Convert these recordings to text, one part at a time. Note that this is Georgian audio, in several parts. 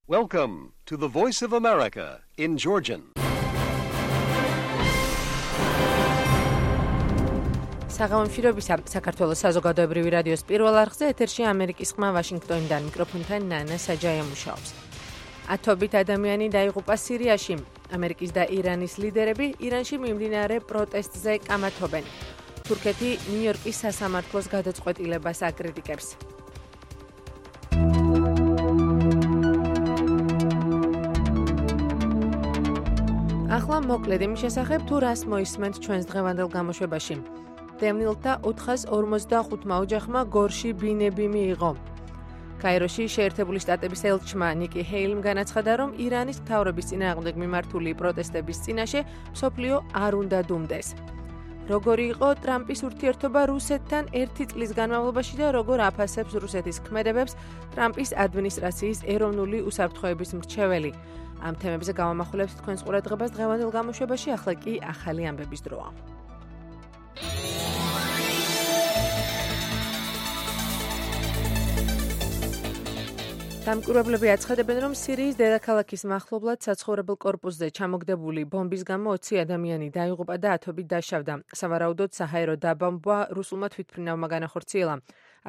Welcome to the Voice of America in Georgian. საღამომშვიდობისა საქართველოს საზოგადოებრივი რადიოს პირველ არხზე ეთერში ამერიკის ხმა ვაშინგტონიდან მიკროფონთან ნანა საჯაია მუშაობს. ათობით ადამიანი დაიღუპა სირიაში. ამერიკის და ირანის ლიდერები ირანში მიმდინარე პროტესტზე კამათობენ. თურქეთი ნიუ-იორკის სასამართლოს გადაწყვეტილებას აკრიტიკებს. ახლა მოკლედ იმის შესახებ თუ რას მოისმენთ ჩვენს დღევანდელ გამოშვებაში. დევნილთა 445 ოჯახმა გორში ბინები მიიღო. კაიროში შეერთებული შტატების ელჩმა ნიკი ჰეილიმ განაცხადა, რომ ირანის მთავრობის წინააღმდეგ მიმართული პროტესტების წინაშე მსოფლიო არ უნდა დუმდეს. როგორი იყო ტრამპის ურთიერთობა რუსეთთან 1 წლის განმავლობაში და როგორ აფასებს რუსეთის ქმედებებს ტრამპის ადმინისტრაციის ეროვნული უსაფრთხოების მრჩეველი. ამ თემებზე გავამახვილებთ თქვენს ყურადღებას დღევანდელ გამოშვებაში, ახლა კი ახალი ამბების დროა. დამკვირვებლები აცხადებენ, რომ სირიის დედაქალაქის მახლობლად საცხოვრებელ კორპუსზე ჩამოგდებული ბომბის გამო 20 ადამიანი დაიღუპა და ათობით დაშავდა. სავარაუდოდ საჰაერო დაბომბვა რუსულმა თვითმფრინავმა განახორციელა.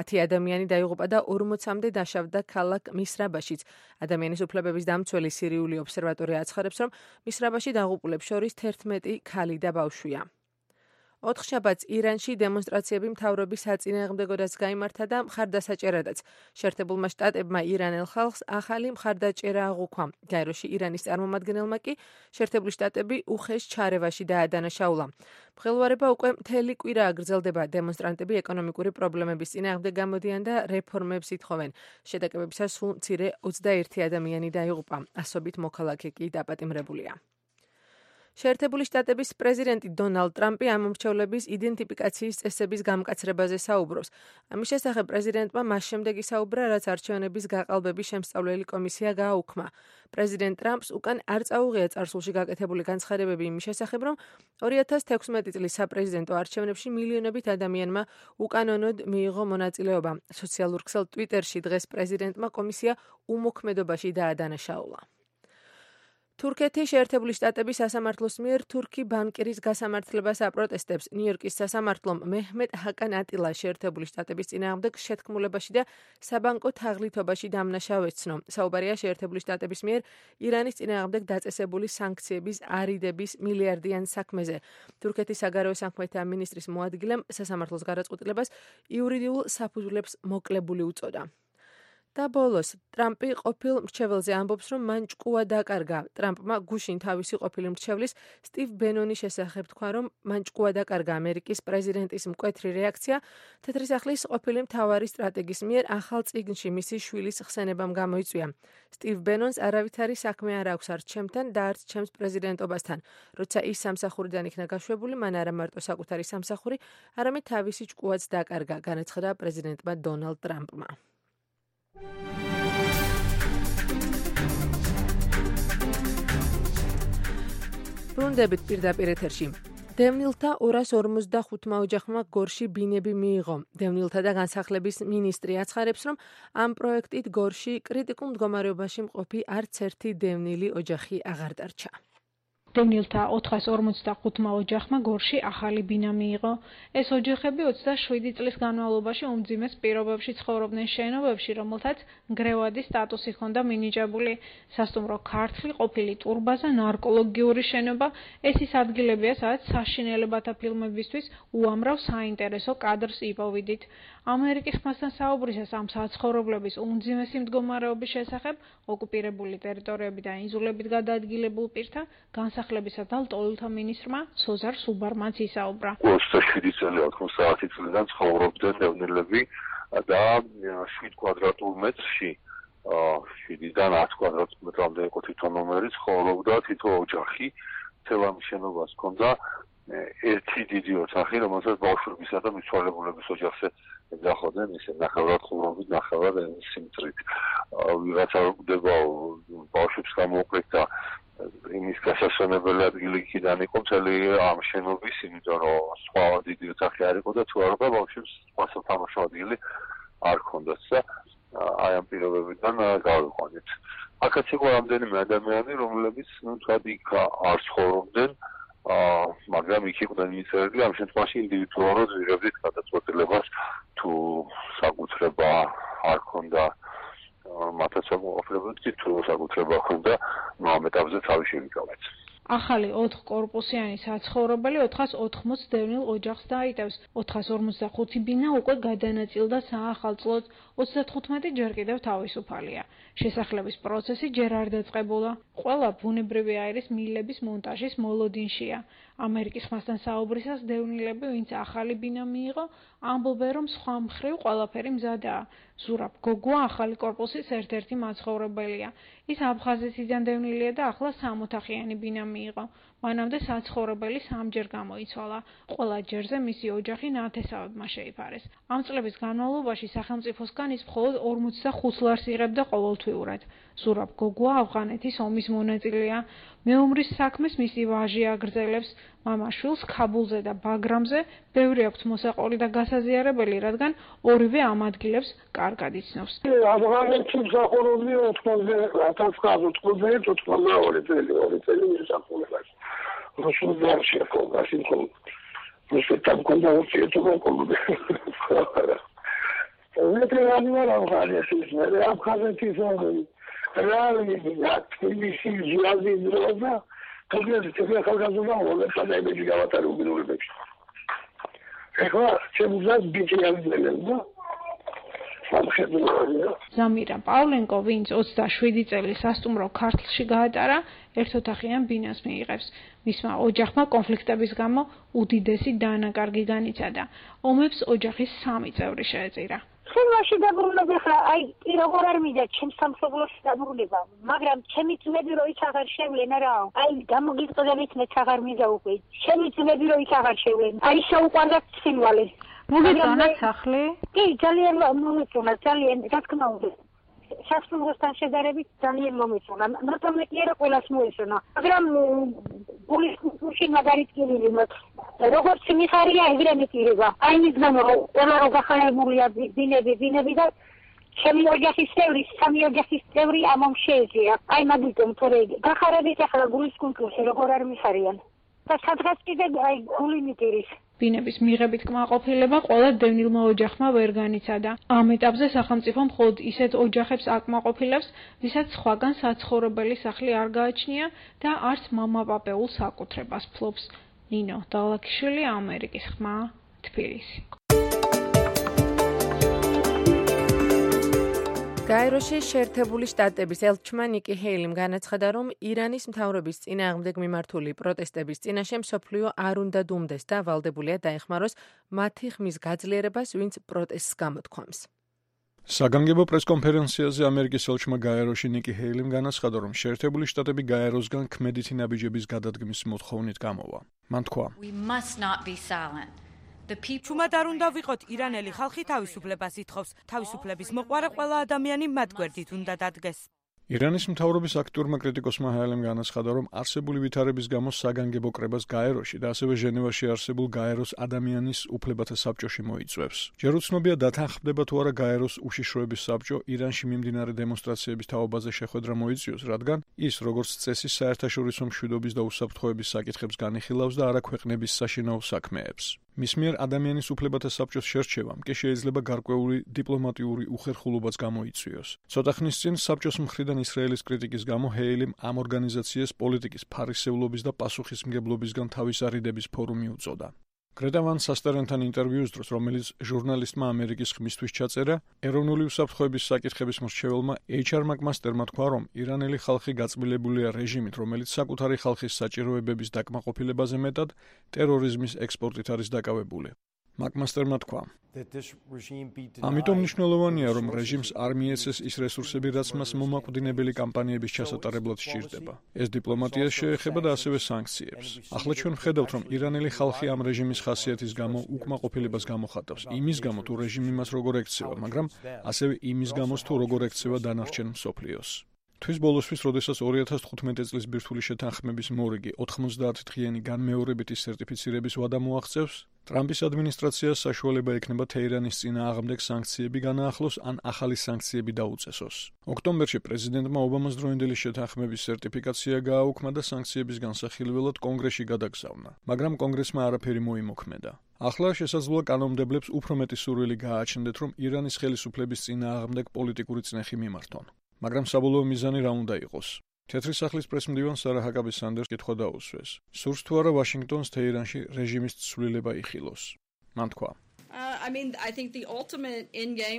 10 ადამიანი დაიღუპა და 40-მდე დაშავდა ქალაქ მისრაბაშიც. ადამიანის უფლებების დამცველი სირიული ობსერვატორია აცხადებს, რომ მისრაბაში დაღუპულებს შორის 11 ქალი და ბავშვია. 4 შაბათს ირანში დემონსტრაციები მთავრობის საწინააღმდეგოდაც გაიმართა და მხარდასაჭერადაც. შეერთებულმა შტატებმა ირანელ ხალხს ახალი მხარდაჭერა აღუქვა. კაიროში ირანის წარმომადგენელმა კი შეერთებული შტატები უხეშ ჩარევაში დაადანაშაულა. მღელვარება უკვე მთელი კვირაა გრძელდება. დემონსტრანტები ეკონომიკური პრობლემების წინააღმდეგ გამოდიან და რეფორმებს ითხოვენ. შეტაკებებისას სულ მცირე 21 ადამიანი დაიღუპა. ასობით მოქალაქე კი დაპატიმრებულია. შეერთებული შტატების პრეზიდენტი დონალდ ტრამპი ამ მომრჩევლების იდენტიფიკაციის წესების გამკაცრებაზე საუბრობს. ამის შესახებ პრეზიდენტმა მას შემდეგ ისაუბრა, რაც არჩევნების გაყალბების შემსწავლელი კომისია გააუქმა. პრეზიდენტ ტრამპს უკან არ წაუღია წარსულში გაკეთებული განცხადებები იმის შესახებ, რომ 2016 წლის საპრეზიდენტო არჩევნებში მილიონობით ადამიანმა უკანონოდ მიიღო მონაწილეობა. სოციალურ ქსელ ტვიტერში დღეს პრეზიდენტმა კომისია უმოქმედობაში დაადანაშაულა. თურქეთი შეერთებული შტატების სასამართლოს მიერ თურქი ბანკირის გასამართლებას აპროტესტებს. ნიუ-იორკის სასამართლომ მეჰმედ ჰაკან ატილა შეერთებული შტატების წინააღმდეგ შეთქმულებაში და საბანკო თაღლითობაში დამნაშავე ეცნო. საუბარია შეერთებული შტატების მიერ ირანის წინააღმდეგ დაწესებული სანქციების არიდების მილიარდიან საქმეზე. თურქეთის საგარეო საქმეთა მინისტრის მოადგილემ სასამართლოს გადაწყვეტილებას იურიდიულ საფუძვლებს მოკლებული უწოდა. და ბოლოს, ტრამპი ყოფილ მრჩეველზე ამბობს, რომ მან ჭკუა დაკარგა. ტრამპმა გუშინ თავისი ყოფილი მრჩევლის სტივ ბენონის შესახებ თქვა, რომ მან ჭკუა დაკარგა. ამერიკის პრეზიდენტის მკვეთრი რეაქცია თეთრი სახლის ყოფილი მთავარი სტრატეგის მიერ ახალ წიგნში მისი შვილის ხსენებამ გამოიწვია. სტივ ბენონს არავითარი საქმე არ აქვს არც ჩემთან და არც ჩემს პრეზიდენტობასთან. როცა ის სამსახურიდან იქნა გაშვებული, მან არა მარტო საკუთარი სამსახური, არამედ თავისი ჭკუაც დაკარგა, განაცხადა პრეზიდენტმა დონალდ ტრამპმა. ბრუნდებით პირდაპირ ეთერში. დევნილთა 245 ოჯახმა გორში ბინები მიიღო. დევნილთა და განსახლების მინისტრი აცხადებს, რომ ამ პროექტით გორში კრიტიკულ მდგომარეობაში მყოფი არც ერთი დევნილი ოჯახი აღარ დარჩა. დევნილთა 445 ოჯახმა გორში ახალი ბინა მიიღო. ეს ოჯახები 27 წლის განმავლობაში უმძიმეს პირობებში ცხოვრობდნენ შენობებში, რომელთაც ნგრევადი სტატუსი ჰქონდა მინიჭებული. სასტუმრო ქართლი, ყოფილი ტურბაზა, ნარკოლოგიური შენობა, ეს ის ადგილებია, სადაც საშინელებათა ფილმებისთვის უამრავ საინტერესო კადრს იპოვიდით. ამერიკის ხმასთან საუბრისას ამ საცხოვრებლების უმძიმესი მდგომარეობის შესახებ ოკუპირებული ტერიტორიები და ინზულებით გადაადგილებულ პირთა განსახლებისა და ლტოლვილთა მინისტრმა სოზარ სუბარმანს ისაუბრა. 27 წელი 80 საათი წლიდან ცხოვრობდნენ დევნილები და 7 კვადრატულ მეტრში 7-დან 10 კვადრატულ მეტრამდე იყო თვითონ ნომერი, ცხოვრობდა თითო ოჯახი, თელამი შენობას ჰქონდა ერთი დიდი ოთახი, რომელსაც ბავშვებისა და მიცვალებულების ოჯახზე ეძახოდნენ, ისე ნახევრად ხურობით, ნახევრად სიმწრით. ვიღაცა გვდება ბავშვებს გამოუკლეთ და იმის გასასვენებელი ადგილი იქიდან იყო მთელი ამ შენობის, იმიტომ რომ სხვა დიდი ოთახი არ იყო და თუ არ იყო ბავშვებს სხვა სათამაშო ადგილი არ ჰქონდათ და აი ამ პირობებიდან გავიყვანეთ. აქაც იყო რამდენიმე ადამიანი, რომლებიც თქვა იქ არ ცხოვრობდნენ, მაგრამ იქ იყვნენ მისერები, ამ შემთხვევაში ინდივიდუალურად ვიღებდით გადაწყვეტილებას თუ საკუთრება არ ქონდა მათაც ოფლებდით თუ საკუთრება ქონდა ამ ეტაპზე თავი შევიკავეთ. ახალი 4 კორპუსიანი საცხოვრებელი 480 დევნილ ოჯახს დაიტევს. 455 ბინა უკვე გადანაწილდა საახალწლოდ, 35 ჯერ კიდევ თავისუფალია. შესახლების პროცესი ჯერ არ დაწყებულა. ყველა ბუნებრივი აირის მილების მონტაჟის მოლოდინშია. ამერიკის ხმასთან საუბრისას დევნილები, ვინც ახალი ბინა მიიღო, ამბობენ, რომ სხვა მხრივ ყველაფერი მზადაა. ზურაბ გოგუა ახალი კორპუსის ერთ-ერთი მაცხოვრებელია. ის აფხაზეთიდან დევნილია და ახლა 3 ოთახიანი ბინა მიიღო. მანამდე საცხოვრებელი 3-ჯერ გამოიცვალა. ყველა ჯერზე მისი ოჯახი ნათესავებმა შეიფარეს. ამ წლების განმავლობაში სახელმწიფოსგან ის მხოლოდ 45 ლარს იღებდა ყოველთვიურად. ზურაბ გოგუა ავღანეთის ომის მონაწილეა. მეომრის საქმეს მისი ვაჟი აგრძელებს. მამაშვილს ქაბულზე და ბაგრამზე ბევრი აქვს მოსაყოლი და გასაზიარებელი, რადგან ორივე ამ ადგილებს კარგად იცნობს. ავღანეთის მსახურობდი 1992 წელი მისახურებაში. რუსულზე არ შექონდა, სიტყვა. რუსეთთან კონდა ურთიერთობა. ვეტერანი ვარ ავღანეთის, მე აფხაზეთის რა თბილისი ზიადი დროა თქო ხალხაზობა მოდეშადები გავატარი უგინურებებში. ეხლა შემუძაც ბიჭი აღძენენ და ზამირა პავლენკო, ვინც 27 წელი სასტუმრო ქართლში გაატარა, ერთოთახიან ბინას მიიღებს. მისმა ოჯახმა კონფლიქტების გამო უდიდესი დანაკარგი განიცადა. ომებს ოჯახის 3 წევრი შეეწირა. შემაში დაბრუნება ხა აი როგორ არ მიდა ჩემ სამშობლოში დაბრუნება, მაგრამ ჩემი ძმები რო იქ აღარ შევლენ რა. აი გამოგიწოდებით მე აღარ მიდა უკვე. ჩემი ძმები რო იქ აღარ შევლენ. აი შეუყვარდა ცინვალე. მოგეწონა სახლი? კი, ძალიან მომეწონა, ძალიან, რა თქმა უნდა. სასტუმროსთან შედარებით ძალიან მომეწონა. მაგრამ მე კი არა ყველას მოეწონა. მაგრამ გულში მაგარით კიდევ როგორც მიხარია ეგრე მეკირება. აი მის გამო ყველა რო გახარებულია ბინები და ჩემი ოჯახის წევრი, 3 ოჯახის წევრი ამომ შეეძია. აი მაგიტომ თორე გახარებით ახლა გულის კულტურაში როგორ არ მიხარიან. და სადღაც კიდე აი გული მიკირის. ბინების მიღებით კმაყოფილება ყველა დევნილმა ოჯახმა ვერ განიცადა. ამ ეტაპზე სახელმწიფო მხოლოდ ისეთ ოჯახებს აკმაყოფილებს, ვისაც სხვაგან საცხოვრებელი სახლი არ გააჩნია და არც მამაპაპეულ საკუთრებას ფლობს. ნინო დალაქიშვილი, ამერიკის ხმა, თბილისი. გაეროში შეერთებული შტატების ელჩმა ნიკი ჰეილიმ განაცხადა, რომ ირანის მთავრობის წინააღმდეგ მიმართული პროტესტების წინაშე მსოფლიო არ უნდა დუმდეს და ვალდებულია დაეხმაროს მათი ხმის გაძლიერებას, ვინც პროტესტს გამოთქვამს. საგანგებო პრესკონფერენციაზე ამერიკის ელჩმა გაეროში ნიკი ჰეილიმ განაცხადა, რომ შეერთებული შტატები გაეროსგან ქმედითი ნაბიჯების გადადგმის მოთხოვნით გამოვა. მან თქვა: ჩუმად არ უნდა ვიყოთ, ირანელი ხალხი თავისუფლებას ითხოვს. თავისუფლების მოყვარე ყველა ადამიანი მათ გვერდით უნდა დადგეს. ირანის მთავრობის აქტიურმა კრიტიკოსმა ჰეილიმ განაცხადა, რომ არსებული ვითარების გამო საგანგებო კრებას გაეროში და ასევე ჟენევაში არსებულ გაეროს ადამიანის უფლებათა საბჭოში მოიწვევს. ჯერ უცნობია დათანხმდება თუ არა გაეროს უშიშროების საბჭო ირანში მიმდინარე დემონსტრაციების თაობაზე შეხვედრა მოიწვიოს, რადგან ის, როგორც წესი, საერთაშორისო მშვიდობის და უსაფრთხოების საკითხებს განიხილავს და არა ქვეყნების საშინაო საქმეებს. მის მიერ ადამიანის უფლებათა საბჭოს შერჩევამ კი შეიძლება გარკვეული დიპლომატიური უხერხულობაც გამოიწვიოს. ცოტა ხნის წინ საბჭოს მხრიდან ისრაელის კრიტიკის გამო ჰეილიმ ამ ორგანიზაციას პოლიტიკის ფარისევლობის და პასუხისმგებლობისგან თავის არიდების ფორუმი უწოდა. გრეტა ვან სასტერენთან ინტერვიუს დროს, რომელიც ჟურნალისტმა ამერიკის ხმისთვის ჩაწერა, ეროვნული უსაფრთხოების საკითხების მრჩეველმა HR მაკმასტერმა თქვა, რომ ირანელი ხალხი გაწმილებულია რეჟიმით, რომელიც საკუთარი ხალხის საჭიროებების დაკმაყოფილებაზე მეტად ტერორიზმის ექსპორტით არის დაკავებული. მაკმასტერმა თქვა: ამიტომ მნიშვნელოვანია, რომ რეჟიმს არ მიეცეს ის რესურსები, რაც მას მომაკვდინებელი კამპანიების ჩასატარებლად სჭირდება. ეს დიპლომატიას შეეხება და ასევე სანქციებს. ახლა ჩვენ ვხედავთ, რომ ირანელი ხალხი ამ რეჟიმის ხასიათის გამო უკმაყოფილებას გამოხატავს. იმის გამო, თუ რეჟიმი მას როგორ ექცევა, მაგრამ ასევე იმის გამო, თუ როგორ ექცევა დანარჩენ მსოფლიოს. თვის ბოლოსთვის, როდესაც 2015 წლის ბირთვული შეთანხმების მორიგი 90 დღიანი განმეორებითი სერტიფიცირების ვადა მოაღწევს, ტრამპის ადმინისტრაციას საშუალება ექნება თეირანის წინააღმდეგ სანქციები განაახლოს ან ახალი სანქციები დაუწესოს. ოქტომბერში პრეზიდენტმა ობამას დროინდელი შეთანხმების სერტიფიკაცია გააუქმა და სანქციების განსახილველად კონგრესში გადაგზავნა, მაგრამ კონგრესმა არაფერი მოიმოქმედა. ახლა შესაძლოა კანონმდებლებს უფრო მეტი სურვილი გააჩნდეთ, რომ ირანის ხელისუფლების წინააღმდეგ პოლიტიკური წნეხი მიმართონ. მაგრამ საბოლოო მიზანი რა უნდა იყოს? თეთრი სახლის პრესმდივან სარა ჰაკაბი სანდერს კითხვა დაუსვეს. სურს თუ არა ვაშინგტონს თეირანში რეჟიმის ცვლილება იხილოს. მან თქვა: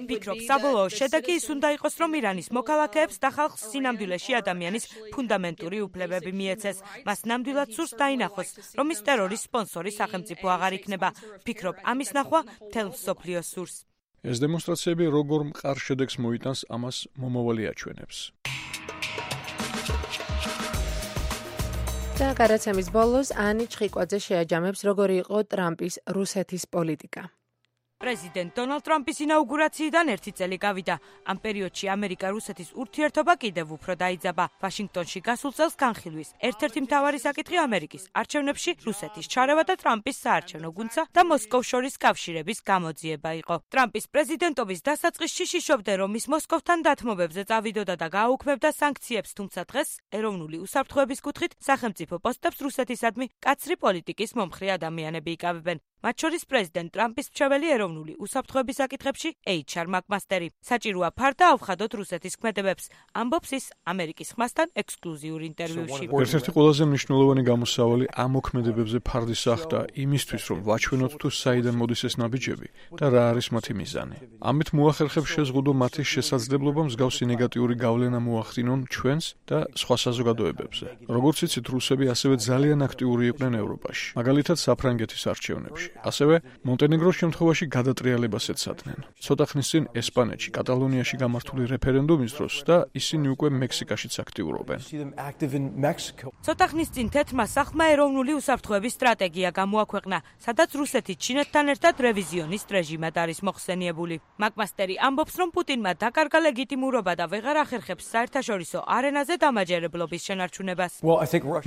ფიქრობ, საბოლოო შედეგი ის უნდა იყოს, რომ ირანის მოქალაქეებს და ხალხს სინამდვილეში ადამიანის ფუნდამენტური უფლებები მიეცეს. მას ნამდვილად სურს დაინახოს, რომ ის ტერორის სპონსორი სახელმწიფო აღარ იქნება. ფიქრობ, ამის ნახვა მთელ მსოფლიოს სურს. ეს დემონსტრაციები როგორ მყარ შედეგს მოიტანს, ამას მომავალი აჩვენებს. და გადაცემის ბოლოს ანი ჩხიკვაძე შეაჯამებს, როგორი იყო ტრამპის რუსეთის პოლიტიკა. პრეზიდენტ დონალდ ტრამპის ინაუგურაციიდან 1 წელი გავიდა. ამ პერიოდში ამერიკა-რუსეთის ურთიერთობა კიდევ უფრო დაიძაბა. ვაშინგტონში გასულ წელს განხილვის ერთ-ერთი მთავარი საკითხი ამერიკის არჩევნებში რუსეთის ჩარევა და ტრამპის საარჩევნო გუნდსა და მოსკოვს შორის კავშირების გამოძიება იყო. ტრამპის პრეზიდენტობის დასაწყისში შიშობდნენ, რომ ის მოსკოვთან დათმობებზე წავიდოდა და გააუქმებდა სანქციებს, თუმცა დღეს ეროვნული უსაფრთხოების კუთხით სახელმწიფო პოსტებს რუსეთისადმი კაცრი პოლიტიკის მომხრე ადამიანები იკავებენ. მათ შორის პრეზიდენტ ტრამპის მრჩეველი ეროვნული უსაფრთხოების საკითხებში HR მაკმასტერი. საჭიროა ფარ და ავხადოთ რუსეთის ქმედებებს, ამბობს ის ამერიკის ხმასთან ექსკლუზიურ ინტერვიუში. ერთ-ერთი ყველაზე მნიშვნელოვანი გამოსავალი ამ მოქმედებებზე ფარდის ახდა იმისთვის, რომ ვაჩვენოთ თუ საიდან მოდის ეს ნაბიჯები და რა არის მათი მიზანი. ამით მოახერხებს შეზღუდო მათი შესაძლებლობა მსგავსი ნეგატიური გავლენა მოახდინონ ჩვენს და სხვა საზოგადოებებზე. როგორც იცით, რუსები ასევე ძალიან აქტიური იყვნენ ევროპაში, მაგალითად საფრანგეთის არჩევნებში. ასევე მონტენეგროს შემთხვევაში გადატრიალებას ეცადნენ. ცოტა ხნის წინ ესპანეთში, კატალონიაში გამართული რეფერენდუმის დროს და ისინი უკვე მექსიკაშიც აქტიურობენ. ცოტა ხნის წინ თეთრმა სახლმა ეროვნული უსაფრთხოების სტრატეგია გამოაქვეყნა, სადაც რუსეთი ჩინეთთან ერთად რევიზიონისტ რეჟიმად არის მოხსენიებული. მაკმასტერი ამბობს, რომ პუტინმა დაკარგა ლეგიტიმურობა და ვეღარ ახერხებს საერთაშორისო არენაზე დამაჯერებლობის შენარჩუნებას.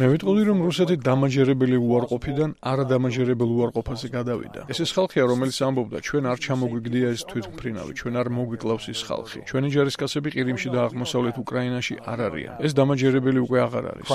მე ვიტყოდი, რომ რუსეთი დამაჯერებელი უარყოფიდან არადამაჯერებელ უარყოფაზე გადავიდა. ეს ის ხალხია, რომელიც ამბობდა, ჩვენ არ ჩამოგვიგდია ეს თვითმფრინავი, ჩვენ არ მოგვიკლავს ის ხალხი. ჩვენი ჯარისკაცები ყირიმში და აღმოსავლეთ უკრაინაში არ არიან. ეს დამაჯერებელი უკვე აღარ არის.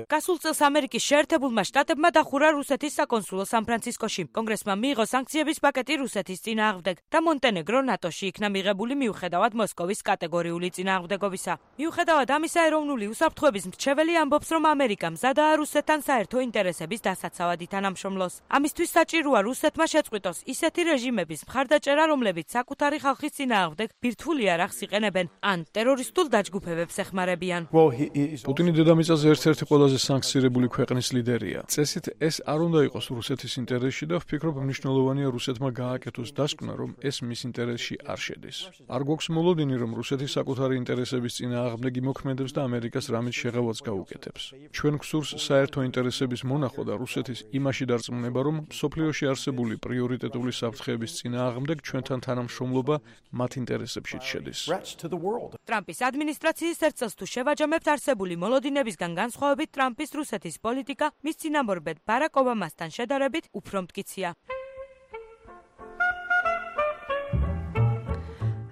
გასულ წელს ამერიკის შეერთებულმა შტატებმა დახურა რუსეთის საკონსულო სან-ფრანცისკოში. კონგრესმა მიიღო სანქციების პაკეტი რუსეთის წინააღმდეგ და მონტენეგრო ნატოში იქნა მიღებული მიუხედავად მოსკოვის კატეგორიული წინააღმდეგობისა. მიუხედავად ამისა, ეროვნული უსაფრთხოების მრჩეველი ამბობს, რომ ამერიკა მზადაა რუსეთთან საერთო ინტერესების დასაცავად ითანამშრომლოს. ამისთვის საჭიროა რუსეთმა შეწყვიტოს ისეთი რეჟიმების მხარდაჭერა, რომლებიც საკუთარი ხალხის წინააღმდეგ ბირთვული არახს იყენებენ ან ტერორისტულ დაჯგუფებებს ეხმარებიან. პუტინი დედამიწაზე ერთ-ერთი ყველაზე სანქცირებული ქვეყნის ლიდერია. წესით ეს არ უნდა იყოს რუსეთის ინტერესში და ვფიქრობ, მნიშვნელოვანია რუსეთმა გააკეთოს დასკვნა, რომ ეს მის ინტერესში არ შედის. არ გვაქვს მოლოდინი, რომ რუსეთი საკუთარი ინტერესების წინააღმდეგ იმოქმედებს და ამერიკას რამით შეღავაც გაუკეთებს. ჩვენ გვსურს საერთო ინტერესების მონახვა და რუსეთის იმაში დარწმუნება, რომ მსოფლიოში არსებული პრიორიტეტული საფრთხეების წინააღმდეგ ჩვენთან თანამშრომლობა მათ ინტერესებშიც შედის. ტრამპის ადმინისტრაციის ერთ წელს თუ შევაჯამებთ არსებული მოლოდინებისგან განსხვავებით, ტრამპის რუსეთის პოლიტიკა მის წინამორბედ ბარაკ ობამასთან შედარებით უფრო მტკიცია.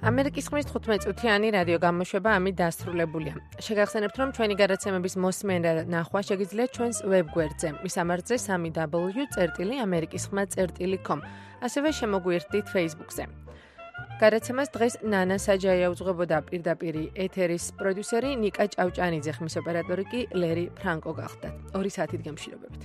ამერიკის ხმის 15 წუთიანი რადიო გამოშვება ამით დასრულებულია. შეგახსენებთ, რომ ჩვენი გადაცემების მოსმენა და ნახვა შეგიძლიათ ჩვენს ვებგვერდზე, მის ამარხზე www.amerikiskhma.com. ასევე შემოგვიერთდით Facebook-ზე. გადაცემას დღეს ნანა საჯაია უძღვებოდა, პირდაპირ ეთერის პროდიუსერი ნიკა ჭავჭანიძე, ხმის ოპერატორი კი ლერი ფრანკო გახლდათ. 2 საათით გემშვიდობებით.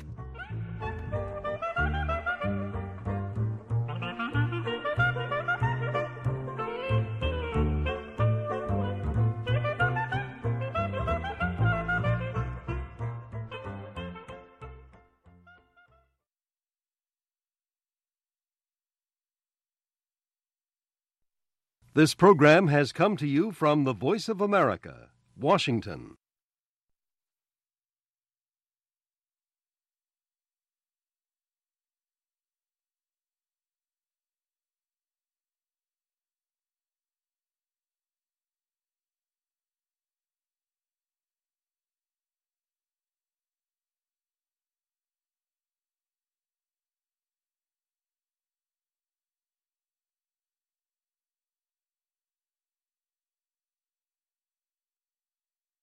This program has come to you from the Voice of America, Washington.